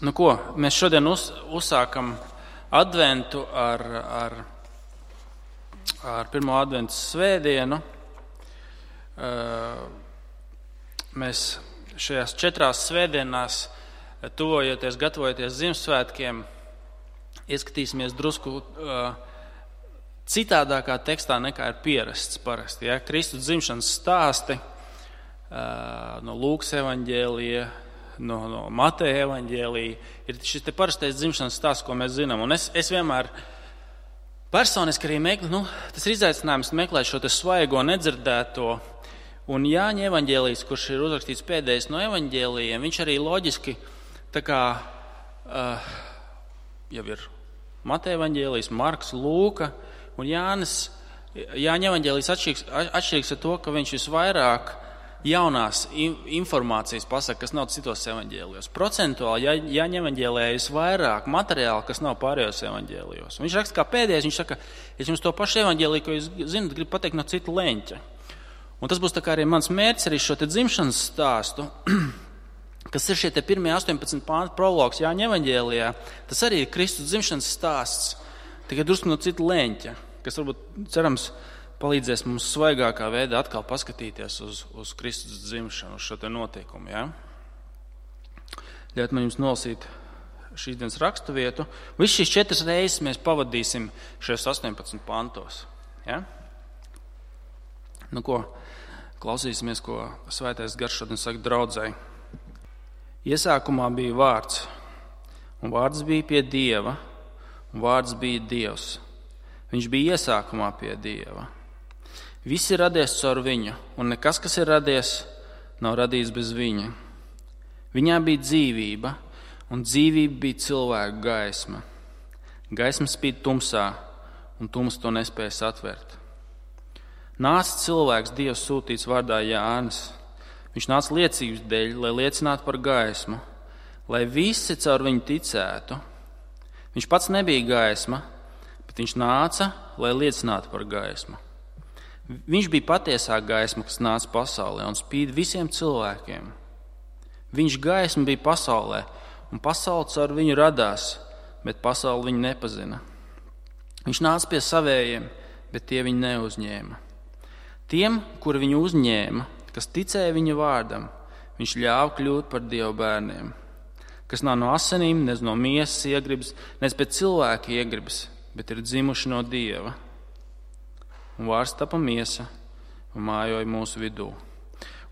Nu ko, mēs šodien uzsākam adventu ar pirmo adventu svētdienu. Mēs šajās 4 svētdienās, gatavojoties Ziemassvētkiem, ieskatīsimies drusku citādākā tekstā nekā ir pierasts parasti. Ja? Kristus dzimšanas stāsti no Lūkas evaņģēlija, no Mateja evaņģēlija ir šis te parastais dzimšanas stāsts, ko mēs zinām. Un es vienmēr personiski arī meklēju, tas ir izaicinājums meklēt šo te svaigo, nedzirdēto. Un Jāņa evaņģēlijs, kurš ir uzrakstīts pēdējais no evaņģēlijiem, viņš arī loģiski tā kā jau ir Mateja evaņģēlijs, Marks, Lūka un Jānis. Jāņa evaņģēlijs atšķirīgs ar to, ka viņš visvairāk jaunās informācijas pasaka, kas nav citos evaņģēlijos. Procentuāli Jāņa evaņģēlijā visvairāk materiāla, kas nav pārējos evaņģēlijos. Viņš raksta kā pēdējais, viņš saka, es jums to pašu evaņģēliju, ko jūs zinat, gribu pateikt no cita leņķa. Un tas būs tā kā arī mans mērķis arī šo te dzimšanas stāstu, kas ir šie te pirmie 18 pānti prologs Jāņa evaņģēlijā. Tas arī ir Kristus dzimšanas stāsts, tikai drusku no cita leņķa, kas varbūt cerams palīdzēs mums svaigākā veidā atkal paskatīties uz Kristus dzimšanu, uz šo te notikumu. Ja? Ļaut man jums nolasīt šīs dienas rakstu vietu. Viss šīs 4 reizes mēs pavadīsim šajos 18 pantos. Ja? Nu ko, klausīsimies, ko Svētais Gars šodien saka draudzei. Iesākumā bija vārds, un vārds bija pie Dieva, un vārds bija Dievs. Viņš bija iesākumā pie Dieva. Viss ir radies caur viņu, un nekas, kas ir radies, nav radīts bez viņa. Viņā bija dzīvība, un dzīvība bija cilvēka gaisma. Gaisma spīd tumsā, un tums to nespēja satvert. Nāca cilvēks, Dievs sūtīts vārdā Jānis. Viņš nāca liecības dēļ, lai liecinātu par gaismu, lai visi caur viņu ticētu. Viņš pats nebija gaisma, bet viņš nāca, lai liecinātu par gaismu. Viņš bija patiesā gaisma, kas nāca pasaulē un spīd visiem cilvēkiem. Viņš gaisma bija pasaulē, un pasaule caur viņu radās, bet pasaule viņu nepazina. Viņš nāca pie savējiem, bet tie viņu neuzņēma. Tiem, kuri viņu uzņēma, kas ticēja viņa vārdam, viņš ļāva kļūt par Dieva bērniem, kas nav no asinīm, nez no miesas iegribas, nez pēc cilvēka iegribas, bet ir dzimuši no Dieva. Un vārds tapa miesa un mājoja mūsu vidū.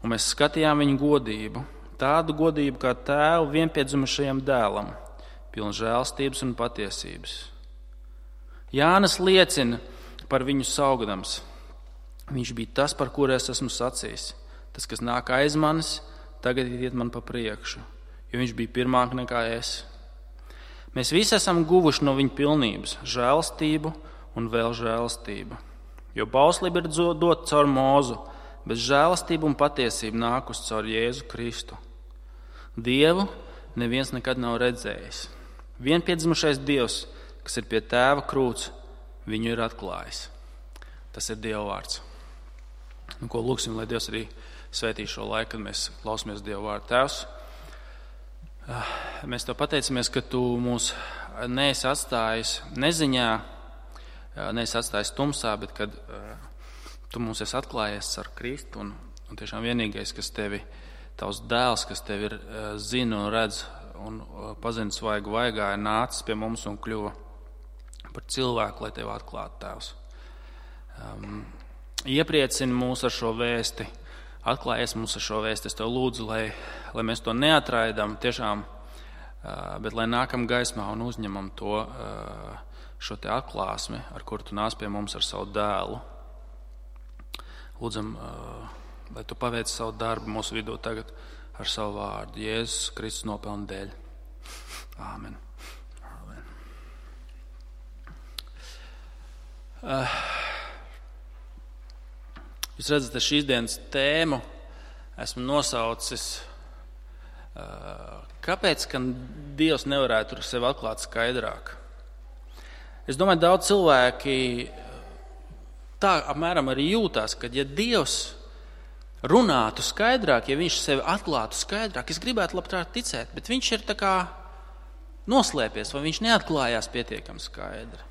Un mēs skatījām viņu godību, tādu godību kā tēvu vienpiedzimušajam dēlam, pilnu žēlstības un patiesības. Jānis liecina par viņu saugdams. Viņš bija tas, par kuru es esmu sacījis. Tas, kas nāk aiz manis, tagad iet man pa priekšu, jo viņš bija pirmāk nekā es. Mēs visi esam guvuši no viņa pilnības, žēlstību un vēl žēlstību. Jo bauslība ir dota caur Mūzu, bet žēlastība un patiesība nākus caur Jēzu Kristu. Dievu neviens nekad nav redzējis. Vienpiedzimušais Dievs, kas ir pie tēva krūts, viņu ir atklājis. Tas ir Dieva vārds. Nu, ko lūksim, lai Dievs arī svētī šo laiku, kad mēs klausamies Dieva vārdu. Tēvs, mēs tev pateicamies, ka tu mūs neesi atstājis neziņā, neesi atstājis tumsā, bet kad tu mums esi atklājies ar Kristu un tiešām vienīgais, kas tevi, tavs dēls, kas tevi ir zina un redz un pazina svaigu vaigā, ir nācis pie mums un kļuva par cilvēku, lai tevi atklātu, Tēvs. Iepriecini mūs ar šo vēsti, atklājies mums ar šo vēsti. Es tev lūdzu, lai mēs to neatraidām tiešām, bet lai nākam gaismā un uzņemam to, šo te atklāsmi, ar kuru tu nāc pie mums ar savu dēlu. Lūdzam, lai tu paveici savu darbu mūsu vidū tagad ar savu vārdu. Jēzus Kristus nopelna dēļ. Āmen. Āmen. Jūs redzat, ka šīs dienas tēmu esmu nosaucis, kāpēc, ka Dievs nevarētu sevi atklāt skaidrāk. Es domāju, daudz cilvēki tā apmēram arī jūtās, ka ja Dievs runātu skaidrāk, ja viņš sevi atklātu skaidrāk, es gribētu labprāt ticēt, bet viņš ir tā kā noslēpies, vai viņš neatklājās pietiekami skaidri.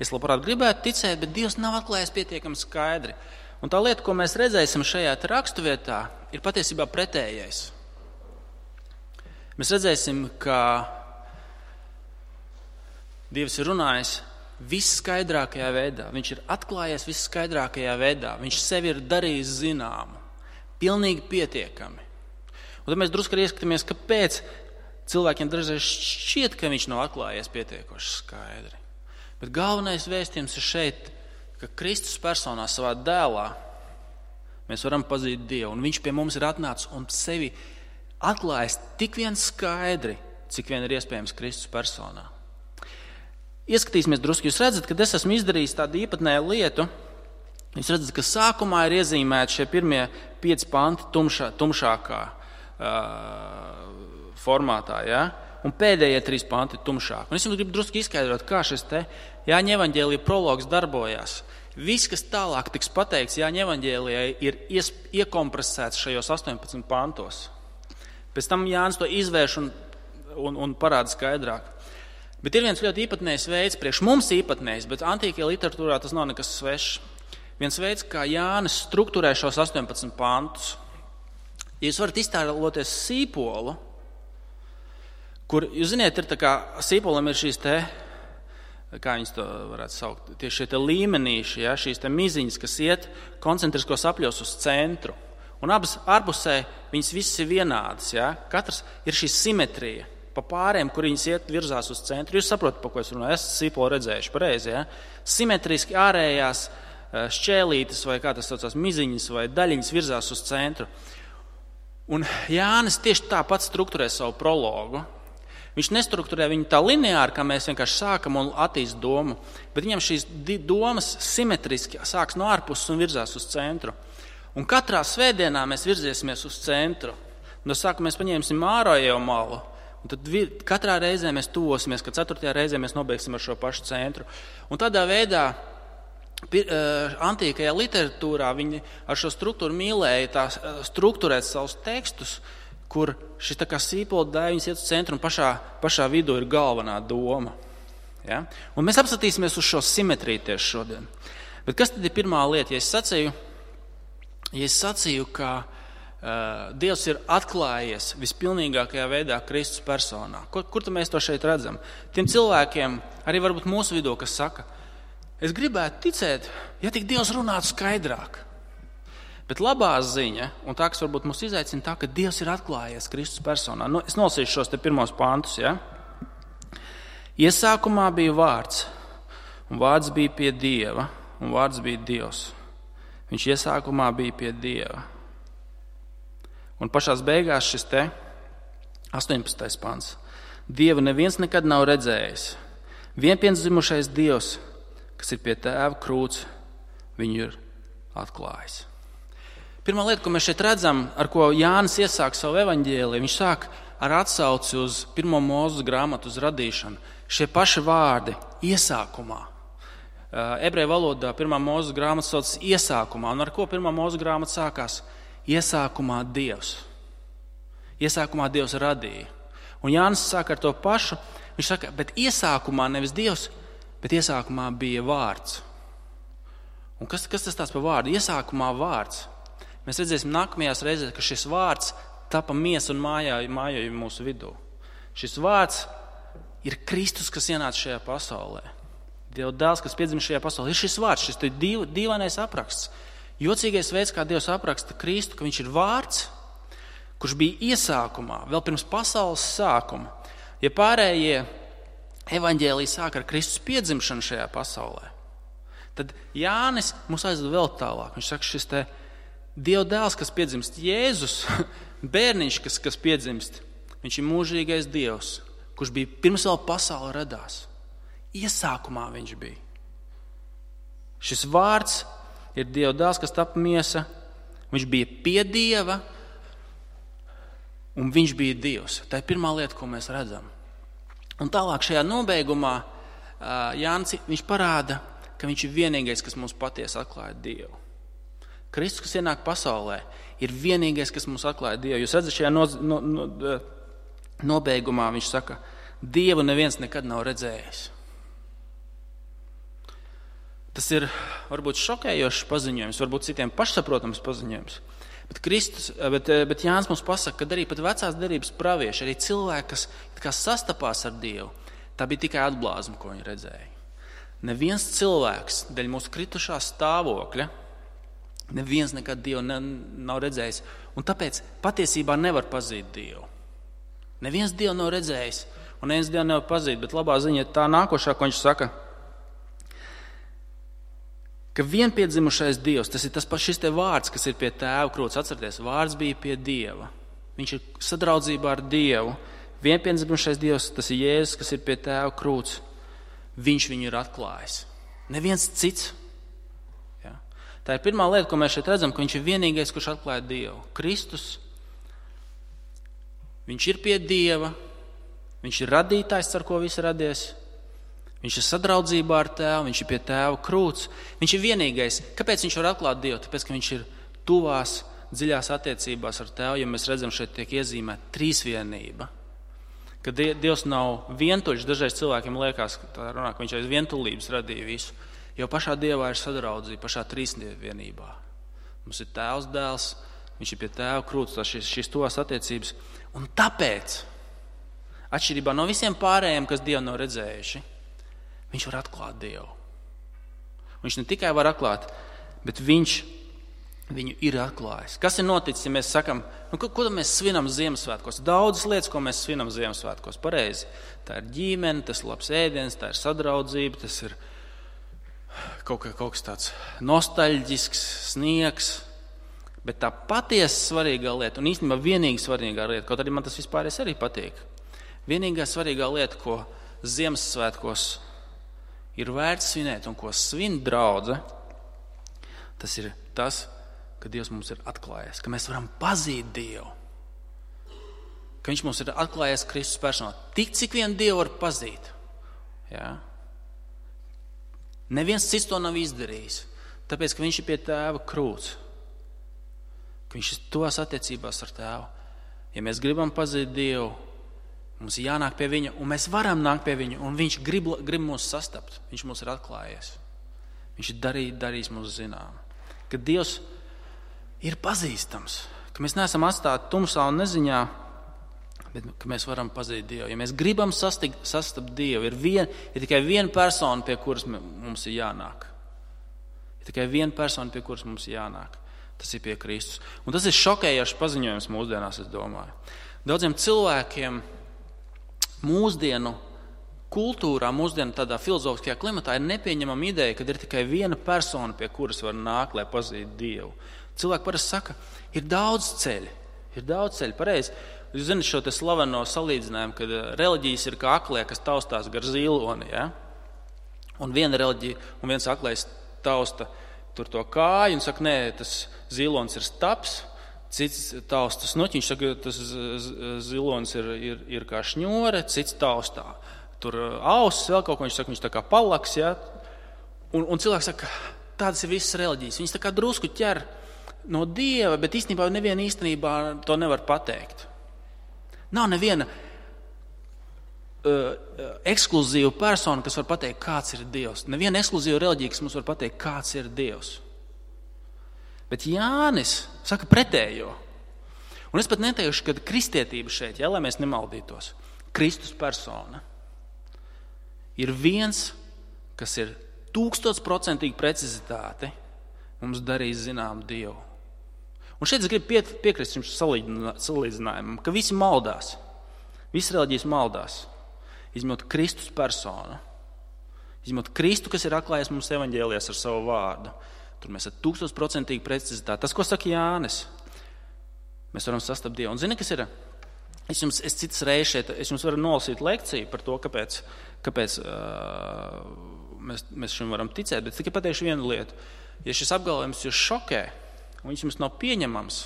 Es labprāt gribētu ticēt, bet Dievs nav atklājies pietiekami skaidri. Un tā lieta, ko mēs redzēsim šajā raksturvietā, ir patiesībā pretējais. Mēs redzēsim, ka Dievs ir runājis visskaidrākajā veidā. Viņš ir atklājies visskaidrākajā veidā. Viņš sevi ir darījis zināmu. Pilnīgi pietiekami. Un tad mēs drusku arī ieskatāmies, kāpēc cilvēkiem dažreiz šķiet, ka viņš nav atklājies pietiekoši skaidri. Bet galvenais vēstījums ir šeit, ka Kristus personā savā dēlā mēs varam pazīt Dievu. Un viņš pie mums ir atnācis un sevi atklājis tik vien skaidri, cik vien ir iespējams Kristus personā. Ieskatīsimies drusku. Jūs redzat, ka es esmu izdarījis tādu īpatnēju lietu. Jūs redzat, ka sākumā ir iezīmēti šie pirmie 5 panti tumšākā formātā, ja? Un pēdējie 3 panti tumšāk. Un es jums gribu drusku izskaidrot, kā šis te Jāņa evaņģēlija prologs darbojās. Viss, kas tālāk tiks pateikts Jāņa evaņģēlijai, ir iekompresēts šajos 18 pantos. Pēc tam Jānis to izvērš un parāda skaidrāk. Bet ir viens ļoti īpatnējs veids, priekš mums īpatnējs, bet antīkajā literatūrā tas nav nekas svešs. Viens veids, kā Jānis strukturē šos 18 pantus. Ja jūs varat iztēloties sīpolu, kur, jūs ziniet, ir tā kā sīpolam ir šīs te, kā viņas to varētu saukt, tieši šie te līmenīši, ja, šīs te miziņas, kas iet koncentriskos apļos uz centru. Un abas ārpusē viņas visas ir vienādas, ja. Katrs ir šī simetrija. Pa pāriem, kur viņas iet virzās uz centru. Jūs saprotat, pa ko es runāju. Esat sīpolu redzējuši pareizi, ja? Simetriski ārējās šķēlītes vai kā tas saucās, miziņas vai daļiņas virzās uz centru. Un Jānis tieši tāpat strukturē savu prologu. Viņš nestrukturē viņu tā lineāri, kā mēs vienkārši sākam un attīst domu, bet viņam šīs domas simetriski sāks no ārpuses un virzās uz centru. Un katrā svētdienā mēs virziesimies uz centru. No sākuma mēs paņemsim ārējo malu. Un tad katrā reizē mēs tuvosimies, ka 4. reizē mēs nobeigsim ar šo pašu centru. Un tādā veidā antīkajā literatūrā viņi ar šo struktūru mīlēja strukturēt savus tekstus, kur šis tā kā sīpola dēļiņas iet uz centru un pašā vidū ir galvenā doma. Ja? Un mēs apskatīsimies uz šo simetriju tieši šodien. Bet kas tad ir pirmā lieta? Ja es sacīju, ka Dievs ir atklājies vispilnīgākajā veidā Kristus personā. Kur tad mēs to šeit redzam? Tiem cilvēkiem, arī varbūt mūsu vidū, kas saka, es gribētu ticēt, ja tik Dievs runātu skaidrāk. Bet labā ziņa, un tā, kas varbūt mūs izaicina, tā, ka Dievs ir atklājies Kristus personā. Es nolasīšu šos te pirmos pantus. Ja? Iesākumā bija vārds, un vārds bija pie Dieva, un vārds bija Dievs. Viņš iesākumā bija pie Dieva. Un pašās beigās šis te 18. pants. Dievu neviens nekad nav redzējis. Vienpiendzimušais Dievs, kas ir pie Tēva krūts, viņu ir atklājis. Pirmā lieta, ko mēs šeit redzam, ar ko Jānis iesāk savu evaņģēliju, viņš sāk ar atsauci uz 1. Mūzes grāmatu, uz radīšanu. Šie paši vārdi iesākumā. Ebreju valodā 1. Mūzes grāmata sauc iesākumā. Un ar ko 1. Mūzes grāmata sākās? Iesākumā Dievs. Iesākumā Dievs radīja. Un Jānis saka ar to pašu. Viņš saka, bet iesākumā nevis Dievs, bet iesākumā bija vārds. Un kas tas tāds par vārdu? Iesākumā vārds. Mēs redzēsim nākamajās reizēs, ka šis vārds tapa miesa un mājoja mūsu vidū. Šis vārds ir Kristus, kas ienāca šajā pasaulē. Dieva dēls, kas piedzima šajā pasaulē, ir šis vārds, šis dīvainais apraksts. Jocīgais veids, kā Dievs apraksta Kristu, ka viņš ir vārds, kurš bija iesākumā, vēl pirms pasaules sākuma. Ja pārējie evaņģēliji sāk ar Kristus piedzimšanu šajā pasaulē, tad Jānis mūs aizved vēl tālāk. Viņš saka, šis te Dieva dēls, kas piedzimst, Jēzus, bērniņš, kas piedzimst, viņš ir mūžīgais Dievs, kurš bija pirms vēl pasaule radās. Iesākumā viņš bija. Šis vārds ir Dieva dēls, kas tapa miesa. Viņš bija pie Dieva un viņš bija Dievs. Tā ir pirmā lieta, ko mēs redzam. Un tālāk šajā nobeigumā Jānis viņš parāda, ka viņš ir vienīgais, kas mums patiesi atklāja Dievu. Kristus, kas ienāk pasaulē, ir vienīgais, kas mums atklāja Dievu. Jūs redzat, šajā nobeigumā viņš saka, Dievu neviens nekad nav redzējis. Tas ir varbūt šokējošs paziņojums, varbūt citiem pašsaprotams paziņojums. Bet Jānis mums pasaka, ka arī pat vecās derības pravieši, arī cilvēki, kas sastapās ar Dievu, tā bija tikai atblāzma, ko viņi redzēja. Neviens cilvēks dēļ mūsu kritušā stāvokļa, neviens nekad Dievu nav redzējis, un tāpēc patiesībā nevar pazīt Dievu. Neviens Dievu nav redzējis, un neviens Dievu nevar pazīt, bet labā ziņa ir tā nākošā, ko viņš saka, ka vienpiedzimušais Dievs, tas ir tas pats šis te vārds, kas ir pie Tēva krūts. Atcerieties, vārds bija pie Dieva. Viņš ir sadraudzībā ar Dievu. Vienpiedzimušais Dievs, tas ir Jēzus, kas ir pie Tēva krūts. Viņš viņu ir atklājis. Neviens cits. Ja? Tā ir pirmā lieta, ko mēs šeit redzam, ka viņš ir vienīgais, kurš atklāja Dievu. Kristus, viņš ir pie Dieva, viņš ir radītājs, ar ko viss radies. Viņš ir sadraudzībā ar Tēvu, viņš ir pie Tēva krūts. Viņš ir vienīgais. Kāpēc viņš var atklāt Dievu? Tāpēc, ka viņš ir tuvās, dziļās attiecībās ar Tēvu, ja mēs redzam, šeit tiek iezīmēta trīsvienība. Ka Dievs nav vientuļš, dažreiz cilvēkiem liekas, ka viņš aiz vientulības radīja visu. Jo pašā Dievā ir sadraudzība, pašā trīsvienībā. Mums ir Tēvs, Dēls, viņš ir pie Tēva krūts, šīs tuvās attiecības. Un tāpēc, atšķirībā no visiem pārējiem, kas Dievu nav redzējuši, viņš var atklāt Dievu. Viņš ne tikai var atklāt, bet viņš viņu ir atklājis. Kas ir noticis, ja mēs sakam, ko mēs svinam Ziemassvētkos? Daudzas lietas, ko mēs svinam Ziemassvētkos, pareizi. Tā ir ģimene, tas ir labs ēdiens, tā ir sadraudzība, tas ir kaut kas tāds nostalģisks, sniegs. Bet tā patiesi svarīgā lieta, un īstenībā vienīgi svarīgā lieta, kaut arī man tas vispār arī patīk, vienīgā svarīgā lieta, ko Ziemassvētkos ir vērts svinēt un ko svin draudze, tas ir tas, ka Dievs mums ir atklājies, ka mēs varam pazīt Dievu, ka viņš mums ir atklājies Kristus personā. Tik, cik vien Dievu var pazīt. Ja? Neviens cits to nav izdarījis, tāpēc, ka viņš ir pie Tēva krūts, ka viņš ir tos attiecībās ar Tēvu. Ja mēs gribam pazīt Dievu, mums ir jānāk pie viņa, un mēs varam nākt pie viņa, un viņš grib mūs sastapt. Viņš mūs ir atklājies. Viņš ir darījis mūs zinām. Ka Dievs ir pazīstams, ka mēs neesam atstāti tumsā un neziņā, bet ka mēs varam pazīt Dievu. Ja mēs gribam sastapt Dievu, ir tikai viena persona, pie kuras mums ir jānāk. Ir tikai viena persona, pie kuras mums ir jānāk. Tas ir pie Kristus. Un tas ir šokējošs paziņojums mūsdienās, es domāju. Daudziem cilvēkiem mūsdienu kultūrā, mūsdienu tādā filozofiskajā klimatā ir nepieņemama ideja, ka ir tikai viena persona, pie kuras var nākt, lai pazītu Dievu. Cilvēki parasti saka, ir daudz ceļu, pareizi. Jūs zināt šo te slaveno salīdzinājumu, kad reliģijas ir kā aklie, kas taustās gar ziloni, ja? Un viena reliģija, un viens aklais tausta tur to kāju un saka, nē, tas zilons ir staps, cits tausta snuķiņš, saka, tas zilonis ir kā šņore, cits taustā. Tur ausis, vēl kaut ko, viņš saka, viņš tā kā palaks, ja? Un cilvēks saka, tādas ir visas reliģijas. Viņš tā kā drusku ķer no Dieva, bet īstenībā neviena īstenībā to nevar pateikt. Nav neviena ekskluzīva persona, kas var pateikt, kāds ir Dievs. Neviena ekskluzīva reliģija, kas mums var pateikt, kāds ir Dievs. Bet Jānis saka pretējo. Un es pat neteikšu, ka kristietība šeit, ja, lai mēs nemaldītos, Kristus persona ir viens, kas ir 1000% precizitāte mums darīs zinām Dievu. Un šeit es gribu piekrist šim salīdzinājumam, ka visi maldās. Visi reliģijas maldās. Izņemot Kristus personu. Izņemot Kristu, kas ir atklājies mums evaņģēlijās ar savu vārdu. Tur mēs ar 1000% precizitāti. Tas, ko saka Jānis, mēs varam sastapt Dievu. Un zini, kas ir? Es citas reizes šeit, es jums varu nolasīt lekciju par to, kāpēc mēs šim varam ticēt, bet tikai pateikšu vienu lietu. Ja šis apgalvojums jūs šokē, un viņš jums nav pieņemams,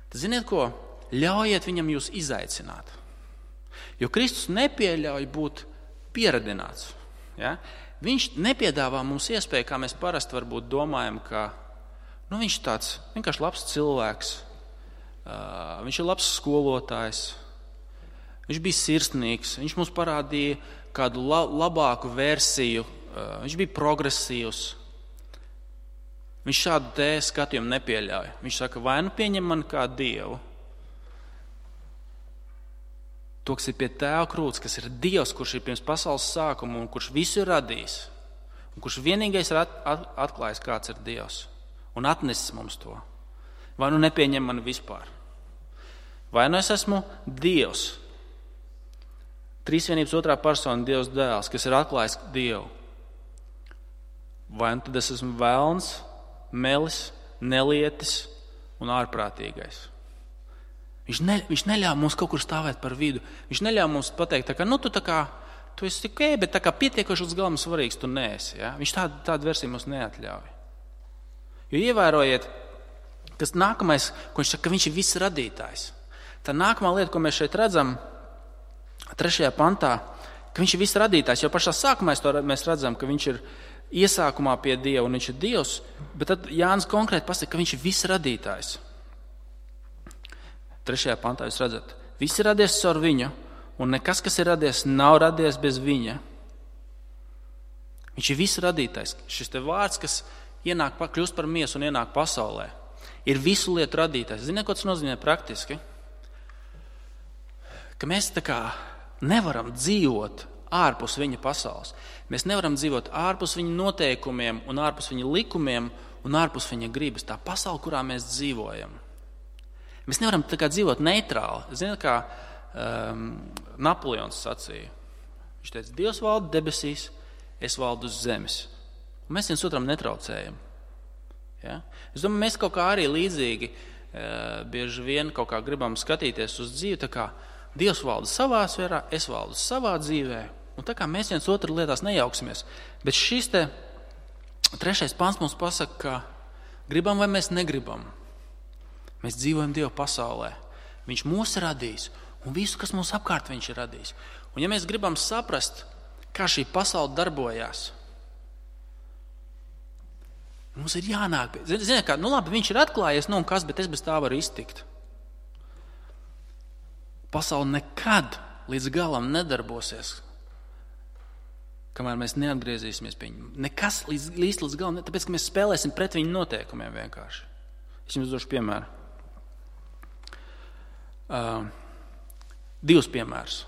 tad ziniet ko? Ļaujiet viņam jūs izaicināt. Jo Kristus nepieļauj būt pieradināts. Ja? Viņš nepiedāvā mums iespēju, kā mēs parasti varbūt domājam, ka viņš ir tāds vienkārši labs cilvēks, viņš ir labs skolotājs, Viņš bija sirsnīgs, viņš mums parādīja kādu labāku versiju, viņš bija progresīvs. Viņš šādu te skatījumu nepieļauj. Viņš saka, vai nu pieņem mani kā Dievu. To, kas ir pie Tēva krūts, kas ir Dievs, kurš ir pirms pasaules sākuma un kurš visu ir radījis. Un kurš vienīgais ir atklājis, kāds ir Dievs. Un atnesis mums to. Vai nu nepieņem mani vispār. Vai nu es esmu Dievs. Trīsvienības otrā persona Dievs dēls, kas ir atklājis Dievu. Vai nu tad es esmu velns, melis, nelietis un ārprātīgais. Viņš neļāva mums kaut kur stāvēt par vidu. Viņš neļāva mums pateikt, tu esi tikai, bet pietiekoši līdz galam svarīgs tu neesi. Ja? Viņš tādu versiju mums neatļauj. Jo ievērojiet, kas nākamais, ko viņš saka, ka viņš ir viss radītājs. Tā nākamā lieta, ko mēs šeit redzam, 3. pantā, ka viņš ir viss radītājs. Jo pašā sākumā mēs redzam, ka viņš ir iesākumā pie Dieva un viņš ir Dievs, bet tad Jānis konkrēti pasaka, ka viņš ir viss radītājs. 3. pantā jūs redzat, viss ir radies caur viņu, un nekas, kas ir radies, nav radies bez viņa. Viņš ir viss radītājs. Šis te vārds, kas kļūst par miesu un ienāk pasaulē, ir visu lietu radītājs. Ziniet, ko tas nozīmē praktiski? Ka mēs nevaram dzīvot ārpus viņa pasaules. Mēs nevaram dzīvot ārpus viņa noteikumiem un ārpus viņa likumiem un ārpus viņa gribas. Tā pasaule, kurā mēs dzīvojam. Mēs nevaram dzīvot neitrāli. Ziniet, kā Napoleons sacīja. Viņš teica, Dievs valda debesīs, es valdu uz zemes. Un mēs viens otram netraucējam. Ja? Es domāju, mēs kaut kā arī līdzīgi bieži vien kaut kā gribam skatīties uz dzīvi, tā kā Dievs valda savā sfērā, es valdu savā dzīvē. Un tā kā mēs viens otru lietās nejauksimies. Bet šis te 3. pants mums pasaka, ka gribam vai mēs negribam. Mēs dzīvojam Dieva pasaulē. Viņš mūs ir radījis un visu, kas mums apkārt viņš ir radījis. Un ja mēs gribam saprast, kā šī pasaule darbojās, mums ir jānāk. Ziniet kā, labi, viņš ir atklājies, un kas, bet es bez tā varu iztikt. Pasaule nekad līdz galam nedarbosies, kamēr mēs neatgriezīsimies pie viņu. Nekas līdz galam, tāpēc, ka mēs spēlēsim pret viņu noteikumiem vienkārši. Es jums došu piemēru. 2 piemērus.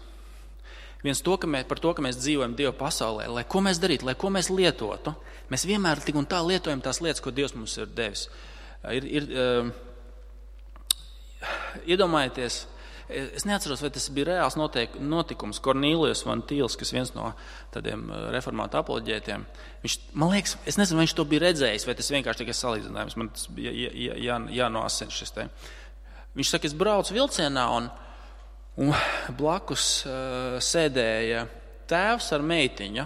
Viens par to, ka mēs dzīvojam Dieva pasaulē, lai ko mēs darītu, lai ko mēs lietotu, mēs vienmēr tik un tā lietojam tās lietas, ko Dievs mums ir devis. Iedomājieties, es neatceros, vai tas bija reāls notikums. Kornīlijus Van Tīls, kas viens no tādiem reformātu apoloģētiem, viņš, man liekas, es nezinu, vai viņš to bija redzējis, vai tas vienkārši tikai salīdzinājums, man tas bija jānoasina šis te. Viņš saka, es braucu vilcienā un blakus sēdēja tēvs ar meitiņu,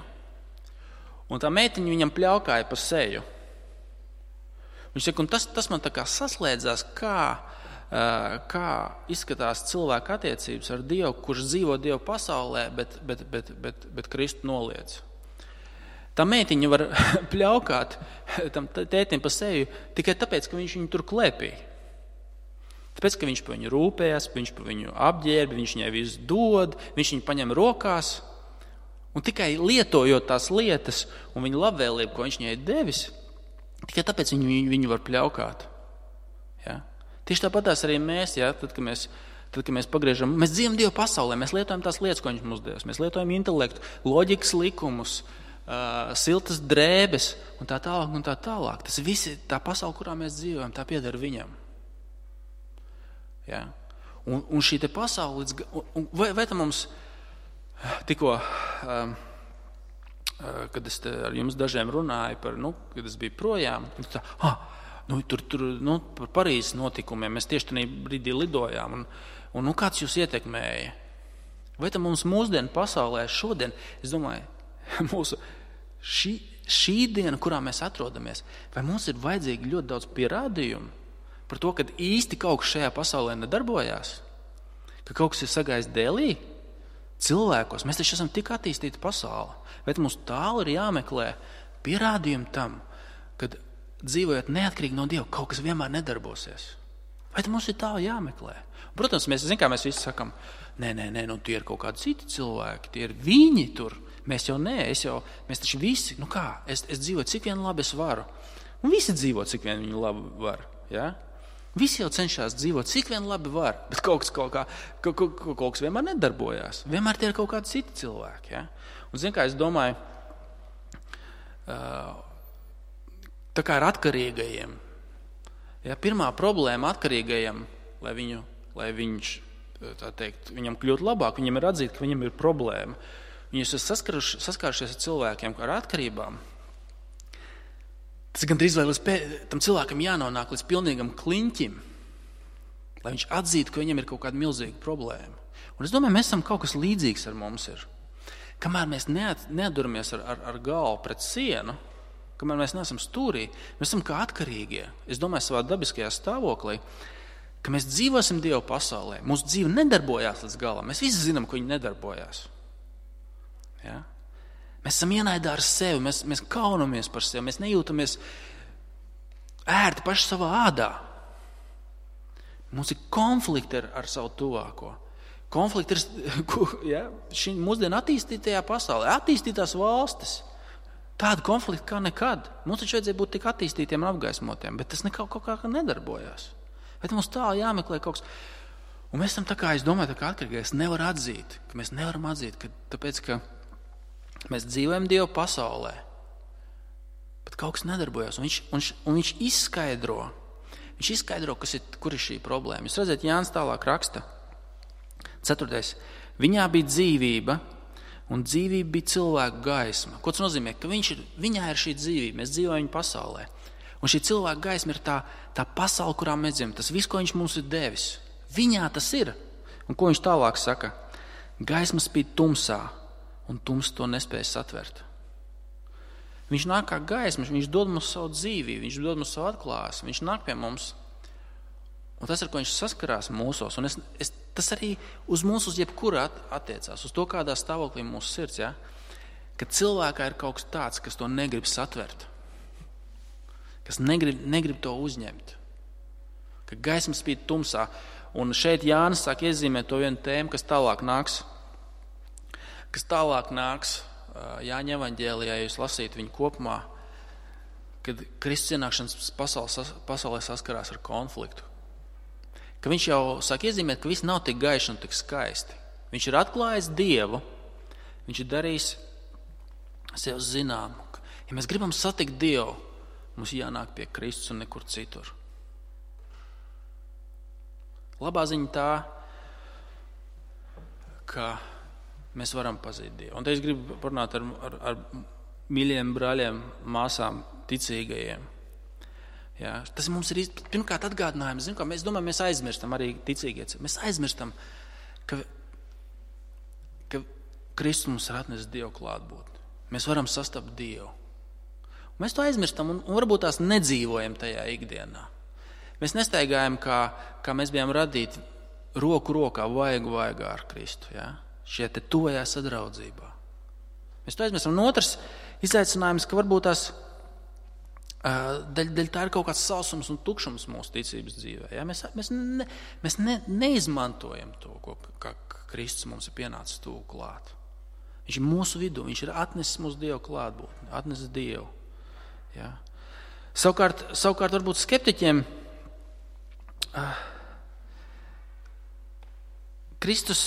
un tā meitiņa viņam pļaukāja pa seju. Viņš saka, un tas man tā kā saslēdzās, kā izskatās cilvēka attiecības ar Dievu, kurš dzīvo Dievu pasaulē, bet Kristu noliedz. Tā meitiņa var pļaukāt tam tētim pa seju tikai tāpēc, ka viņš viņu tur klēpīja. Tāpēc, ka viņš par viņu rūpējas, viņš par viņu apģērbi, viņš viņai visu dod, viņš viņu paņem rokās. Un tikai lietojot tās lietas un viņa labvēlību, ko viņš viņai devis, tikai tāpēc viņu var pļaukāt. Ja? Tieši tāpatās arī mēs, ja, tad, kad mēs pagriežam, mēs dzīvojam Dieva pasaulē, mēs lietojam tās lietas, ko viņš mums devis. Mēs lietojam intelektu, loģikas likumus, siltas drēbes un tā tālāk un tā tālāk. Tas viss ir tā pasaule, kurā mēs dzīvojam, tā pieder viņam. Ja? Un šī te pasaule, vai tā mums tikko, kad es ar jums dažiem runāju, kad es biju projām, par Parīzes notikumiem, mēs tieši tajā brīdī lidojām, un kāds jūs ietekmēja? Vai tā mums mūsdienu pasaulē šodien, es domāju, mūsu šī diena, kurā mēs atrodamies, vai mums ir vajadzīgi ļoti daudz pierādījumu par to, ka īsti kaut kas šajā pasaulē nedarbojās, ka kaut kas ir sagājis dēlī cilvēkos. Mēs taču esam tik attīstīti pasauli, bet mums tālu ir jāmeklē pierādījumi tam, kad dzīvojot neatkarīgi no Dieva, kaut kas vienmēr nedarbosies. Vai mums ir tā jāmeklē? Protams, mēs visi sakam, nē, tie ir kaut kādi citi cilvēki, tie ir viņi tur. Mēs jau nē, mēs taču visi, es dzīvoju, cik vien labi es varu. Un visi dzīvo, cik vien viņi labi var. Ja? Visi jau cenšas dzīvot, cik vien labi var, bet kaut kas vienmēr nedarbojās. Vienmēr tie ir kaut kādi citi cilvēki. Ja? Un zin kā, es domāju, tā kā ar atkarīgajiem. Ja, pirmā problēma atkarīgajam, lai viņš, tā teikt, viņam kļūt labāk, viņam ir atzīt, ka viņam ir problēma. Viņš ir saskārušies ar cilvēkiem ar atkarībām. Tas gandrīz vai tam cilvēkam jānonāk līdz pilnīgam kliņķim, lai viņš atzītu, ka viņam ir kaut kāda milzīga problēma. Un es domāju, mēs esam kaut kas līdzīgs ar mums ir. Kamēr mēs neatduramies ar galvu pret sienu, kamēr mēs neesam stūrī, mēs esam kā atkarīgie. Es domāju, savā dabiskajā stāvoklī, ka mēs dzīvosim Dieva pasaulē. Mūsu dzīve nedarbojās līdz galam. Mēs visi zinām, ka viņi nedarbojās. Ja? Mēs esam ienaidā ar sevi, mēs kaunamies par sevi, mēs nejūtamies ērti paši savā ādā. Mums ir konflikti ar savu tuvāko. Konflikti ir šī mūsdienu attīstītajā pasaulē, attīstītās valstis. Tāda konflikta kā nekad. Mums taču vajadzēja būt tik attīstītiem un apgaismotiem, bet tas kaut kā nedarbojās. Bet mums tā jāmeklē kaut kas. Un mēs esam tā kā, es domāju, tā kā atkarīgi, mēs nevaram atzīt, tāpēc, ka mēs dzīvojam Dieva pasaulē, bet kaut kas nedarbojas. Un viņš izskaidro, kur ir šī problēma. Jūs redzat, Jānis tālāk raksta. 4. Viņā bija dzīvība, un dzīvība bija cilvēku gaisma. Ko tas nozīmē? Ka viņā ir šī dzīvība, mēs dzīvojam viņa pasaulē. Un šī cilvēka gaisma ir tā pasaule, kurā mēs dzīvojam. Tas viss, ko viņš mums ir devis. Viņā tas ir. Un ko viņš tālāk saka? Gaisma spīd tumsā, un tums to nespēja satvert. Viņš nāk kā gaisma, viņš dod mums savu dzīvību, viņš dod mums savu atklāsmi, viņš nāk pie mums. Un tas, ar ko viņš saskarās mūsos, un tas arī uz mums, uz jebkuru attiecās, uz to, kādā stāvoklī mūsu sirds, ja? Ka cilvēkā ir kaut kas tāds, kas to negrib satvert, kas negrib to uzņemt, ka gaisma spīd tumsā. Un šeit Jānis sāk iezīmēt to vienu tēmu, kas tālāk nāks Jāņa evaņģēlijā, ja jūs lasītu viņu kopumā, kad Kristus ienākšanas pasaulē saskarās ar konfliktu. Ka viņš jau sāk iezīmēt, ka viss nav tik gaiši un tik skaisti. Viņš ir atklājis Dievu, viņš ir darījis sev zinām. Ja mēs gribam satikt Dievu, mums jānāk pie Kristus un nekur citur. Labā ziņa tā, ka mēs varam pazīt Dievu. Un te es gribu parunāt ar mīļiem brāļiem, māsām, ticīgajiem. Jā, tas mums ir pirmkārt atgādinājums. Mēs domājam, mēs aizmirstam arī ticīgie. Mēs aizmirstam, ka Kristus mums ir atnesis Dievu klātbūtni. Mēs varam sastapt Dievu. Mēs to aizmirstam un varbūt tās nedzīvojam tajā ikdienā. Mēs nestaigājam, kā mēs bijām radīti roku rokā, vaigu vaigā ar Kristu. Jā? Šie te tuvajā sadraudzībā. Mēs to aizmirstam. Un otrs izaicinājums, ka varbūt tās daļ tā ir kaut kāds sausums un tukšums mūsu ticības dzīvē. Ja? Mēs neizmantojam to, kā Kristus mums ir pienācis tuvu klāt. Viņš ir mūsu vidū, viņš ir atnesis mūsu Dievu klātbūtni, atnesis Dievu. Ja? Savukārt varbūt skeptiķiem Kristus,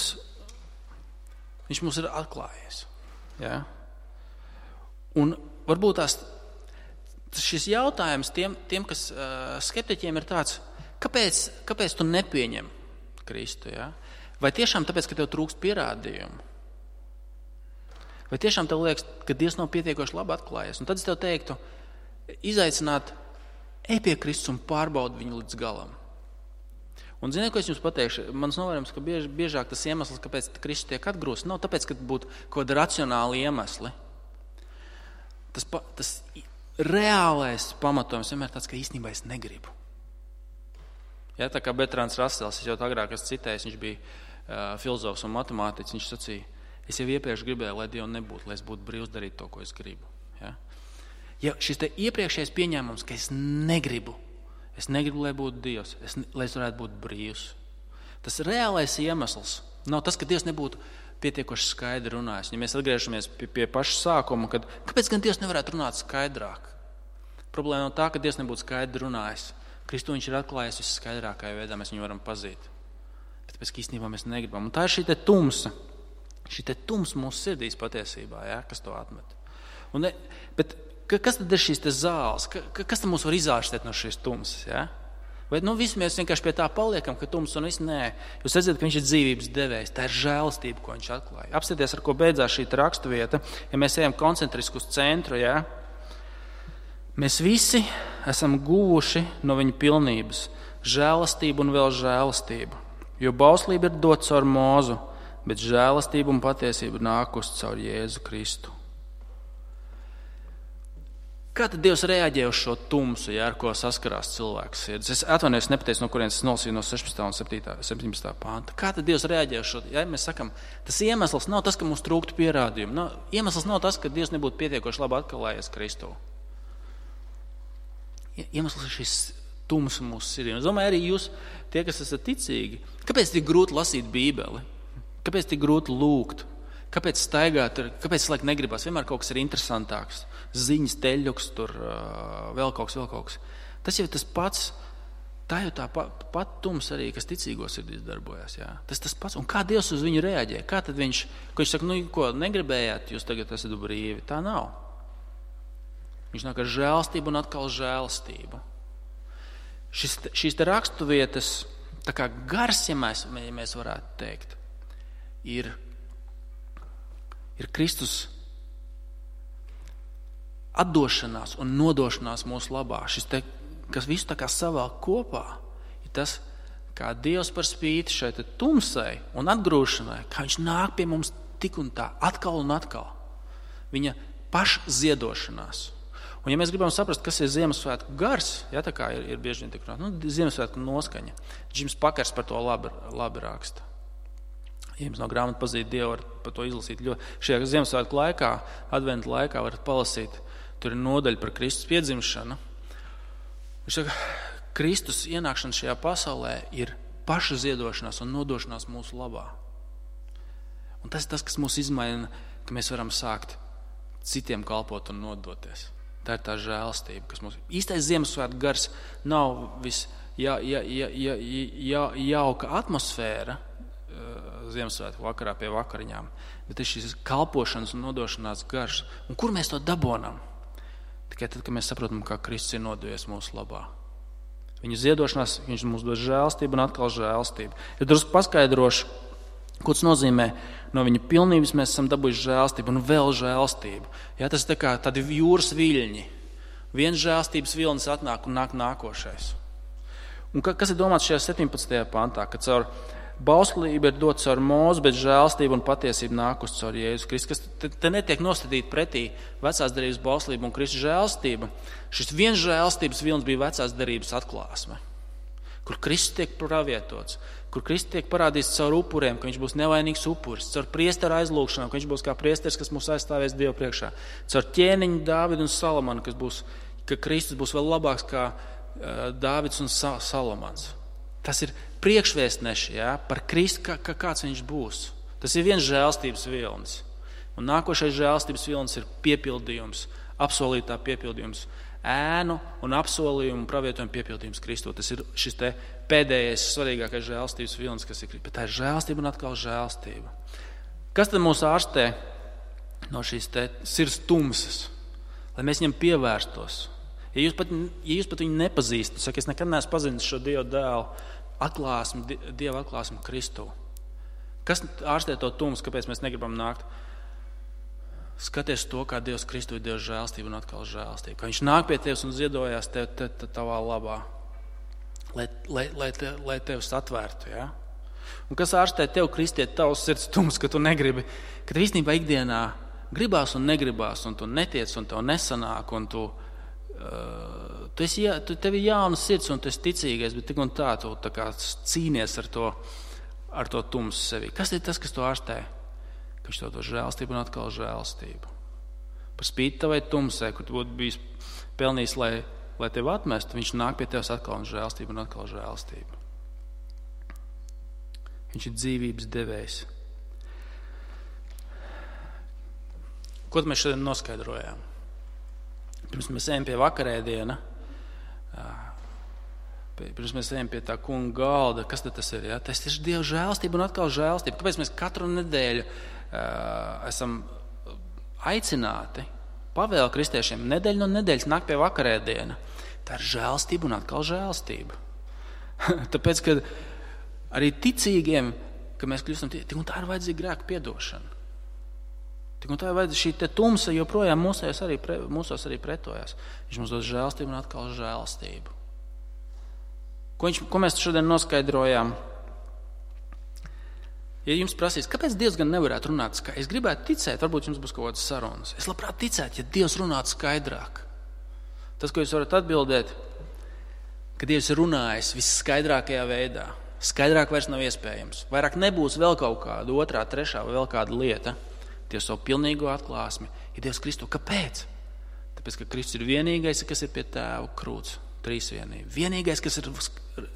viņš mums ir atklājies. Ja? Un varbūt šis jautājums tiem kas skeptiķiem ir tāds, kāpēc tu nepieņem Kristu? Ja? Vai tiešām tāpēc, ka tev trūkst pierādījumu? Vai tiešām tev liekas, ka Dievs nav pietiekoši labi atklājies? Un tad es tev teiktu, izaicināt, ej pie Kristus un pārbaudi viņu līdz galam. Un ziniet, ko es jums pateikšu? Mans novērojums, ka biežāk tas iemesls, kāpēc Kristus tiek atgrūsts, nav tāpēc, ka būtu kaut kādi racionāli iemesli. Tas reālais pamatojums vienmēr tāds, ka īstenībā es negribu. Ja, tā kā Bertrands Rasels, es jau agrāk esmu citējis, viņš bija filozofs un matemātiķis, viņš sacīja, es jau iepriekš gribēju, lai Dievu nebūtu, lai es būtu brīvs darīt to, ko es gribu. Ja, šis te iepriekšējais pieņēmums, ka es negribu, Es negribu, lai būtu Dievs, lai es varētu būt brīvs. Tas reālais iemesls nav tas, ka Dievs nebūtu pietiekoši skaidri runājis. Ja mēs atgriežamies pie paša sākuma, kāpēc gan Dievs nevarētu runāt skaidrāk? Problēma nav tā, ka Dievs nebūtu skaidri runājis. Kristu viņš ir atklājis visskaidrākajā veidā, mēs viņu varam pazīt. Bet tāpēc, ka īstenībā mēs negribam. Un tā ir šī te tumsa. Šī te tumsa mūsu sirdīs patiesībā, ja, kas to atmet. Bet kas tad ir šīs te zāles? Kas tad mūs var izārstēt no šīs tumsas? Ja? Vai visi mēs vienkārši pie tā paliekam, ka tums un viss nē. Jūs redzat, ka viņš ir dzīvības devējs. Tā ir žēlastība, ko viņš atklāja. Apsieties, ar ko beidzās šī raksturvieta. Ja mēs ejam koncentriski uz centru, ja? Mēs visi esam guvuši no viņa pilnības žēlastību un vēl žēlastību. Jo bauslība ir dot caur Mūzu, bet žēlastība un patiesība nākus caur Jēzu Kristu. Kā tad Dievs reaģē uz šo tumsu, ja, ar ko saskarās cilvēks sirds? Es atvainojos, nepateicu, no kurienes es nolasīju no 16. un 17. pānta. Kā tad Dievs reaģē uz šo? Ja mēs sakam, tas iemesls nav tas, ka mums trūktu pierādījumu. Iemesls nav tas, ka Dievs nebūtu pietiekoši labi atklājies Kristū. Iemesls ir šis tums mūsu sirdī. Es domāju, arī jūs, tie, kas esat ticīgi, kāpēc tik grūti lasīt Bībeli? Kāpēc tik grūti lūgt? Kāpēc staigāt? Kāpēc laik negribas? Vienmēr kaut kas ir interesantāks. Ziņas, teļuks, tur vēl kaut kas. Tas jau ir tas pats. Tā jau tā pat tums arī, kas ticīgos sirdīs darbojas. Jā. Tas pats. Un kā Dievs uz viņu reaģē? Kā tad viņš saka, ko negribējāt, jūs tagad esat brīvi? Tā nav. Viņš nāk ar žēlastību un atkal žēlastību. Šīs te raksturvietas, tā kā gars, ja mēs varētu teikt, ir Kristus atdošanās un nodošanās mūsu labā. Šis te, kas visu tā kā savēl kopā, ir tas, kā Dievs par spīti šai tumsai un atgrūšanai, kā viņš nāk pie mums tik un tā, atkal un atkal. Viņa pašziedošanās. Un ja mēs gribam saprast, kas ir Ziemassvētku gars, ja, tā kā ir bieži vien tik runāt, Ziemassvētku noskaņa. Džims Pakers par to labi raksta. Ja jums nav grāmata pazīt Dievu, var par to izlasīt. Šajā Ziemassvētku laikā, adventa laikā varat palasīt, tur ir nodaļa par Kristus piedzimšanu. Viņš saka, Kristus ienākšana šajā pasaulē ir paša ziedošanās un nodošanās mūsu labā. Un tas ir tas, kas mūs izmaina, ka mēs varam sākt citiem kalpot un nodoties. Tā ir tā žēlastība, kas mums... Īstais Ziemassvētku gars nav jauka atmosfēra, Ziemassvētku vakarā pie vakariņām, bet ir šis kalpošanas un nodošanās gars. Un kur mēs to dabonam? Tikai tad, kad mēs saprotam, kā Kristus ir nodojies mūsu labā. Viņa ziedošanās, viņš mums dod žēlastību un atkal žēlastību. Ja drusku paskaidrošu, ko tas nozīmē, no viņa pilnības mēs esam dabūjuši žēlastību un vēl žēlastību. Ja, tas ir tā kā tādi jūras viļņi. Viens žēlastības vilnis atnāk un nāk nākošais. Un kas ir domāts šajā 17. pantā, ka caur bauslība ir dot caur Mūzu, bet žēlastība un patiesība nākus caur Jēzu Kristu. Te netiek nostādīt pretī vecās derības bauslība un Kristus žēlastība. Šis viens žēlastības vilnis bija vecās derības atklāsme, kur Kristus tiek pravietots, kur Kristus tiek parādīts caur upuriem, ka viņš būs nevainīgs upuris, caur priestera aizlūgšanām, ka viņš būs kā priesteris, kas mūs aizstāvēs Dievu priekšā, caur ķēniņu Dāvidu un Salamanu, ka Kristus būs vēl labāks kā Dāvids un Salamans. Tas ir priekšvēstneši, ja, par Kristu, kāds viņš būs. Tas ir viens žēlastības vilnis. Un nākošais žēlastības vilnis ir piepildījums, apsolītā piepildījums, ēnu un apsolījumu un pravietojumu piepildījums Kristū. Tas ir šis te pēdējais svarīgākais žēlastības vilnis, kas ir. Bet tā ir žēlastība un atkal žēlastība. Kas tad mūs ārstē no šīs te sirds tumsas, lai mēs viņam pievērstos? Ja jūs pat viņu nepazīstat, saka, es nekad neesmu pazinis šo Dievu dēlu, Dieva atklāsmu Kristū. Kas ārstē to tumsu, kāpēc mēs negribam nākt? Skaties to, kā Dievs Kristū ir Dievs žēlastība un atkal žēlastība. Ka viņš nāk pie tevis un ziedojās tavā labā, lai tevi satvērtu. Ja? Un kas ārstē tev, kristiet, tavs sirds tums, ka tu negribi, ka tev īstenībā ikdienā gribās un negribās, un tu netiec, un tev nesanāk, un tev ir jauna sirds, un tu esi ticīgais, bet tik un tā, tu tā kā cīnies ar to tumsu sevi. Kas ir tas, kas to ārstē? Ka viņš to žēlastību un atkal žēlastību. Par spīti tavai tumsai, kur tu būtu bijis pelnījis, lai lai tevi atmestu, viņš nāk pie tevis atkal un žēlstību un atkal žēlstību. Viņš ir dzīvības devējs. Ko mēs šodien noskaidrojām? Pirms mēs ejam pie vakarēdiena, pirms mēs ejam pie tā kunga galda, kas tad tas ir? Ja? Tas ir Dieva žēlstība un atkal žēlstība. Kāpēc mēs katru nedēļu esam aicināti, pavēlu kristiešiem, nedēļu no nedēļas nāk pie vakarēdiena? Tā ir žēlstība un atkal žēlstība. Tāpēc, ka arī ticīgiem, ka mēs kļūstam, tik un tā ir vajadzīga grēka piedošana. Tik un tā ir vajadzīga šī te tumsa, joprojām mūsos arī pretojās. Viņš mums dod žēlstību un atkal žēlstību. Ko mēs šodien noskaidrojām? Ja jums prasīs, kāpēc Dievs gan nevarētu runāt skaidrāk? Es gribētu ticēt, varbūt jums būs kaut kādas sarunas. Es labprāt ticētu, ja Dievs runātu skaidrāk. Tas, ko jūs varat atbildēt, ka Dievs ir runājis visskaidrākajā veidā. Skaidrāk vairs nav iespējams. Vairāk nebūs vēl kaut kāda otrā, trešā vai vēl kāda lieta. Dievs savu pilnīgo atklāsmi ir Dievs Kristu. Kāpēc? Tāpēc, ka Kristus ir vienīgais, kas ir pie Tēva krūts. Trīsvienība. Vienīgais, kas ir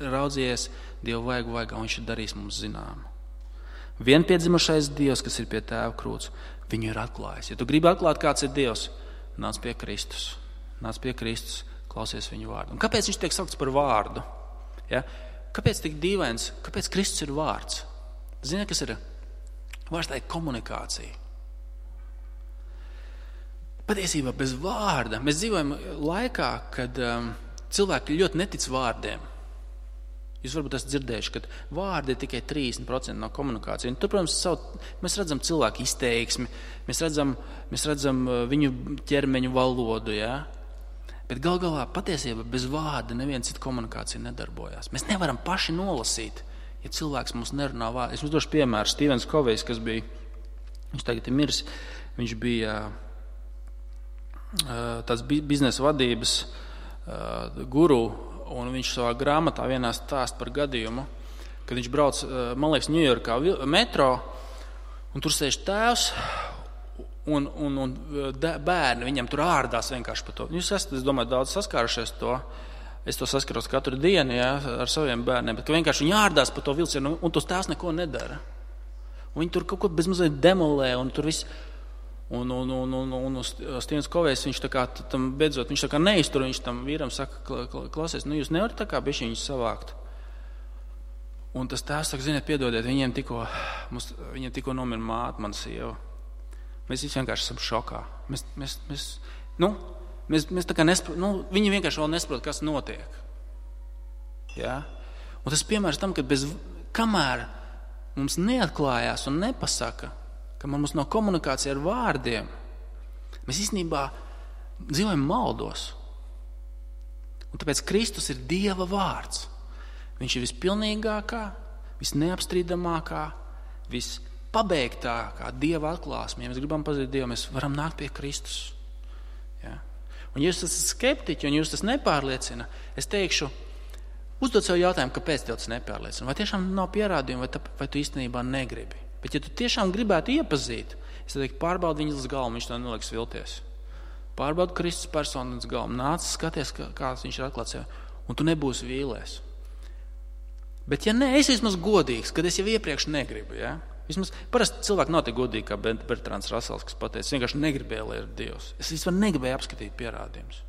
raudzījies Dievu vaigā, viņš ir darījis mums zinām. Vienpiedzimušais Dievs, kas ir pie Tēva krūts, viņu ir atklājis. Ja tu gribi atklāt, kāds ir Dievs, nāc pie Kristus. Nāc pie Kristus, klausies viņu vārdu. Un kāpēc viņš tiek saukts par vārdu? Ja? Kāpēc tik dīvains? Kāpēc Kristus ir vārds? Zini, kas ir? Vārds tā ir komunikācija. Patiesībā bez vārda. Mēs dzīvojam laikā, kad cilvēki ļoti netic vārdiem. Jūs varbūt esat dzirdējuši, ka vārdi ir tikai 30% no komunikācijas. Un tur, protams, mēs redzam cilvēku izteiksmi, mēs redzam viņu ķermeņu valodu, ja? Bet gal galā patiesībā bez vārda neviena cita komunikācija nedarbojās. Mēs nevaram paši nolasīt, ja cilvēks mums nerunā vārdu. Es jums došu piemēru. Stevens Kovejs, kas bija, viņš tagad ir miris, viņš bija tāds biznesa vadības guru, un viņš savā grāmatā vienā stāst par gadījumu, kad viņš brauc, man liekas, Ņujorkā metro, un tur sēž tēvs, un bērni viņam tur ārdās vienkārši par to. Jūs esat, es domāju, daudz saskārušies to. Es to saskaros katru dienu, ja, ar saviem bērniem, bet ka vienkārši viņi ārdās par to vilcienu, un tos tēvs neko nedara. Un viņi tur kaut ko bezmazliet demolē, un tur viss. Un Stevens Kovejs, viņš tā kā tam beidzot, viņš tā kā neiztur, viņš tam vīram saka, klausies, jūs nevarat tā kā bišķi viņus savākt. Un tas tēvs saka, ziniet, piedodiet, viņiem tikko nomira māte, mana sieva. Mēs visi vienkārši esam šokā. Mēs tā kā viņi vienkārši vēl nesaprot, kas notiek. Ja? Un tas piemērs tam, ka kamēr mums neatklājās un nepasaka, ka mums nav komunikācija ar vārdiem, mēs īstenībā dzīvojam maldos. Un tāpēc Kristus ir Dieva vārds. Viņš ir vispilnīgākā, visneapstrīdamākā, vispabeigtākā Dieva atklāsme. Ja mēs gribam pazīt Dievu, mēs varam nākt pie Kristus. Ja? Un ja jūs esat skeptiķi un jūs tas nepārliecina, es teikšu, uzdod sev jautājumu, kāpēc tev tas nepārliecina. Vai tiešām nav pierādījumi, vai tu īstenībā negribi? Bet ja tu tiešām gribētu iepazīt, es teiktu, pārbaudi viņu līdz galvu, viņš to neliks vilties. Pārbaudi Kristus personu līdz galvu, nāc, skaties, kāds viņš ir atklāts sev, un tu nebūsi vīlies. Bet ja ne, es vismaz godīgs, kad es jau iepriekš negribu, ja? Vismaz parasti cilvēki nav tik godīgi kā Bertrands Rasels, kas pateica, vienkārši negribēja, lai ir Dievs. Es vispār negribēju apskatīt pierādījumus.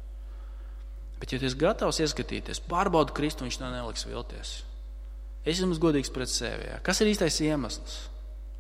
Bet ja tu esi gatavs ieskatīties, pārbaudi Kristu, viņš to neliks vilties. Es esmu godīgs pret sevi, ja? Kas ir īstais iemesls?